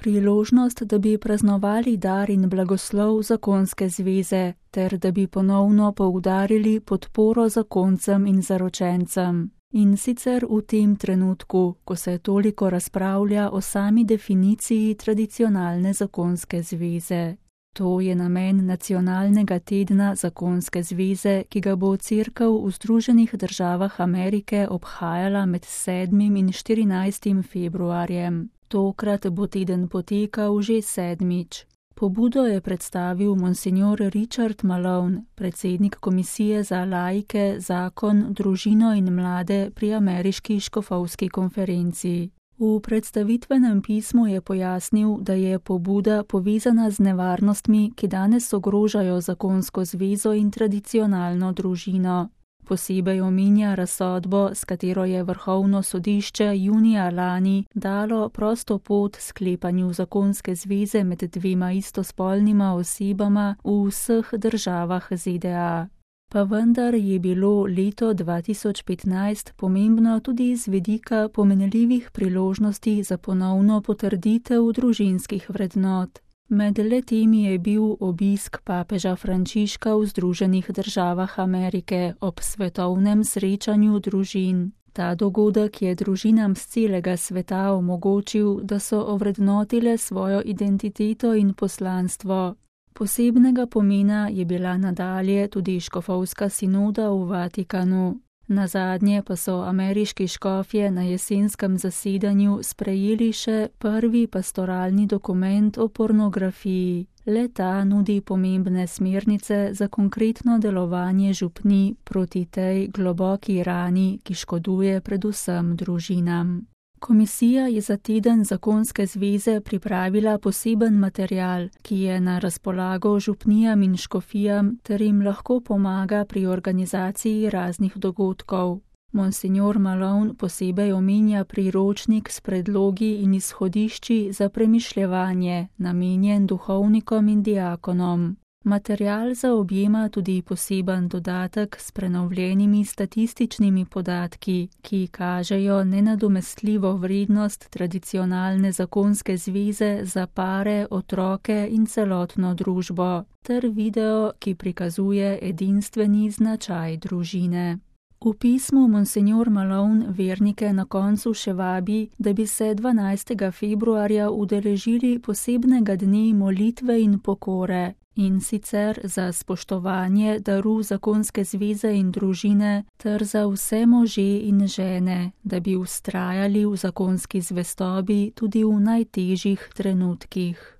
priložnost, da bi praznovali dar in blagoslov zakonske zveze, ter da bi ponovno poudarili podporo zakoncem in zaročencem. In sicer v tem trenutku, ko se toliko razpravlja o sami definiciji tradicionalne zakonske zveze. To je namen Nacionalnega tedna zakonske zveze, ki ga bo Cerkev v Združenih državah Amerike obhajala med 7. in 14. februarjem. Tokrat bo teden potekal že 7. Pobudo je predstavil monsignor Richard Malone, predsednik Komisije za laike, zakon, družino in mlade pri Ameriški škofovski konferenci. V predstavitvenem pismu je pojasnil, da je pobuda povezana z nevarnostmi, ki danes ogrožajo zakonsko zvezo in tradicionalno družino. Posebej omenja razsodbo, s katero je Vrhovno sodišče junija lani dalo prosto pot sklepanju zakonske zveze med dvema istospolnima osebama v vseh državah ZDA. Pa vendar je bilo leto 2015 pomembno tudi z vidika pomenljivih priložnosti za ponovno potrditev družinskih vrednot. Med letimi je bil obisk papeža Frančiška v Združenih državah Amerike ob svetovnem srečanju družin. Ta dogodek je družinam z celega sveta omogočil, da so ovrednotile svojo identiteto in poslanstvo. Posebnega pomena je bila nadalje tudi škofovska sinoda v Vatikanu. Nazadnje pa so ameriški škofje na jesenskem zasedanju sprejeli še prvi pastoralni dokument o pornografiji. Le-ta nudi pomembne smernice za konkretno delovanje župnij proti tej globoki rani, ki škoduje predvsem družinam. Komisija je za teden zakonske zveze pripravila poseben material, ki je na razpolago župnijam in škofijam ter jim lahko pomaga pri organizaciji raznih dogodkov. Monsignor Malone posebej omenja priročnik s predlogi in izhodišči za premišljevanje, namenjen duhovnikom in diakonom. Material zaobjema tudi poseben dodatek s prenovljenimi statističnimi podatki, ki kažejo nenadomestljivo vrednost tradicionalne zakonske zveze za pare, otroke in celotno družbo, ter video, ki prikazuje edinstveni značaj družine. V pismu monsignor Malone vernike na koncu še vabi, da bi se 12. februarja udeležili posebnega dne molitve in pokore, in sicer za spoštovanje daru zakonske zveze in družine ter za vse može in žene, da bi vztrajali v zakonski zvestobi tudi v najtežjih trenutkih.